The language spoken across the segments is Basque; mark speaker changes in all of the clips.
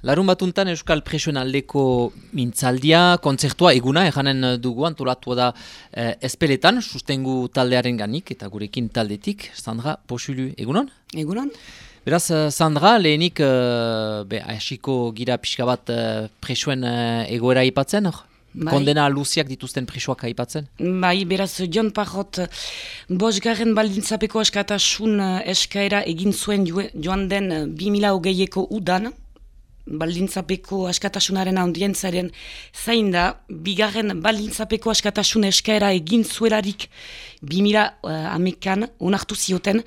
Speaker 1: Larun batuntan Euskal Presoen aldeko mintzaldia, kontzertua eguna, eganen dugu antolatua da Ezpeletan, sustengu taldearen ganik eta gurekin taldetik, Sandra Poxulu, egunon?
Speaker 2: Egunon.
Speaker 1: Beraz, Sandra, lehenik hasiko gira pixka bat presoen egoera aipatzen, kondena luziak dituzten presoak aipatzen?
Speaker 2: Bai, beraz, Jon Parrot, bosgarren baldintzapeko askatasun eskaera egin zuen joan den 2020ko udan, baldintzapeko askatasunaren audientzaren zain da, bigarren baldintzapeko askatasun eskaera egin zuelarik 2011an onartu zioten,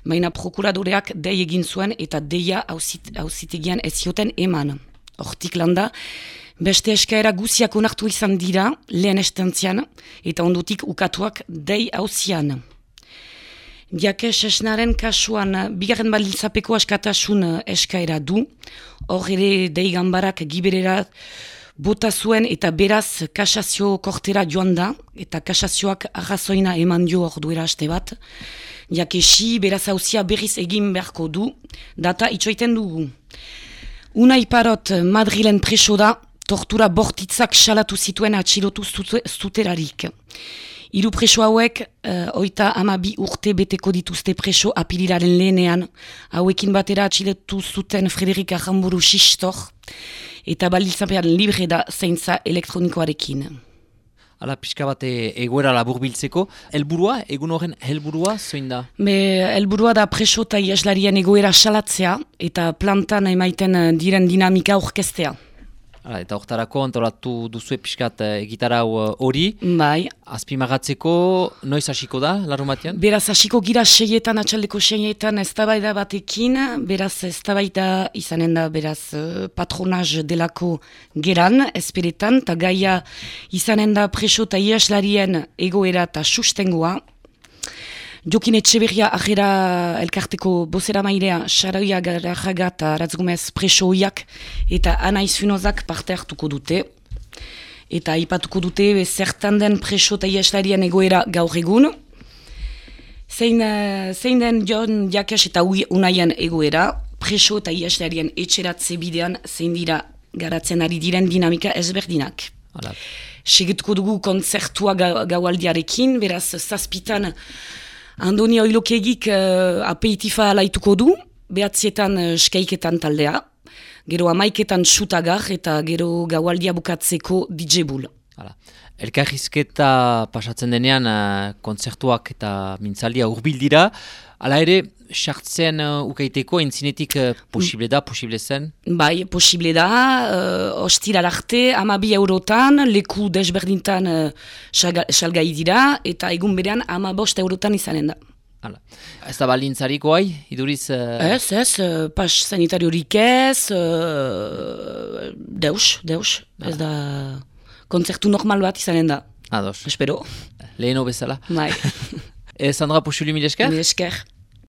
Speaker 2: baina prokuradoreak dei egin zuen eta deia auzitegian ez zioten eman. Hortik landa, beste eskaera guziak onartu izan dira, lehen estantzian, eta ondotik ukatuak dei auzian. Jake Sesnaren kasuan bigarren baldintzapeko askatasun eskaera du, hor ere dei ganbarak giberera bota zuen eta beraz kasazio kortera joan da, eta kasazioak arrazoina eman dio hor duera aste bat. Jake beraz auzia berriz egin beharko du, data itxoiten dugu. Unai Parrot Madrilen preso da, tortura bortitzak salatu zituen atxilotu zuterarik. Hiru preso hauek, 32 urte beteko dituzte preso apirilaren lehenean, hauekin batera atxilotu zuten Frederik Arramburu Xistor, eta baldintzapean libre da zaintza elektronikoarekin.
Speaker 1: Hala, pixka bat egoera laburbiltzeko, helburua, egun horren helburua, zoin da?
Speaker 2: Helburua da preso eta iaslarien egoera salatzea, eta plantan emaiten diren dinamika orkestea.
Speaker 1: Eta hortarako antolatu duzue pixkat egitarau hori.
Speaker 2: Bai.
Speaker 1: Azpimagatzeko, noiz hasiko da, larun batean?
Speaker 2: Beraz, hasiko gira atxaldeko 6etan eztabaida batekin, beraz, eztabaida izanen da, beraz, patronaz delako geran, Ezpeletan, eta gaia izanen da preso eta iaslarien egoera eta sustengoa. Jokin Etxeberria ajera elkarteko bozera mairea, Xaraoia Garraga eta Ratzgomez preso hoiak eta Anaiz Funozak parte hartuko dute. Eta aipatuko dute zertan den preso eta iaslarien egoera gaur egun. Zein den Jon Jakes eta Unaien egoera, preso eta iaslarien etxeratze bidean zein dira garatzen ari diren dinamika ezberdinak. Segetuko dugu kontzertua gaualdiarekin, beraz zazpitan Andoni Oilokegik apeitifa alaituko du, 9etan skaiketan taldea, gero 11etan xutagar eta gero gaualdia bukatzeko DJ Bull.
Speaker 1: Elkarrizketa pasatzen denean kontzertuak eta mintzaldia hurbil dira, hala ere, sartzen ukaiteko entzinetik posible zen?
Speaker 2: Bai, posible da, ostira arte, 12 eurotan, leku desberdintan salgai dira, eta egun berean 15 eurotan izanen da.
Speaker 1: Ez da baldintzarik oai, iduriz?
Speaker 2: Ez, pas sanitariorik ez, deus, ez da kontzertu normal bat izanen da.
Speaker 1: Ados.
Speaker 2: Espero.
Speaker 1: Leheno bezala.
Speaker 2: Bai.
Speaker 1: Sandra Poxulu, mil esker?
Speaker 2: Mil esker.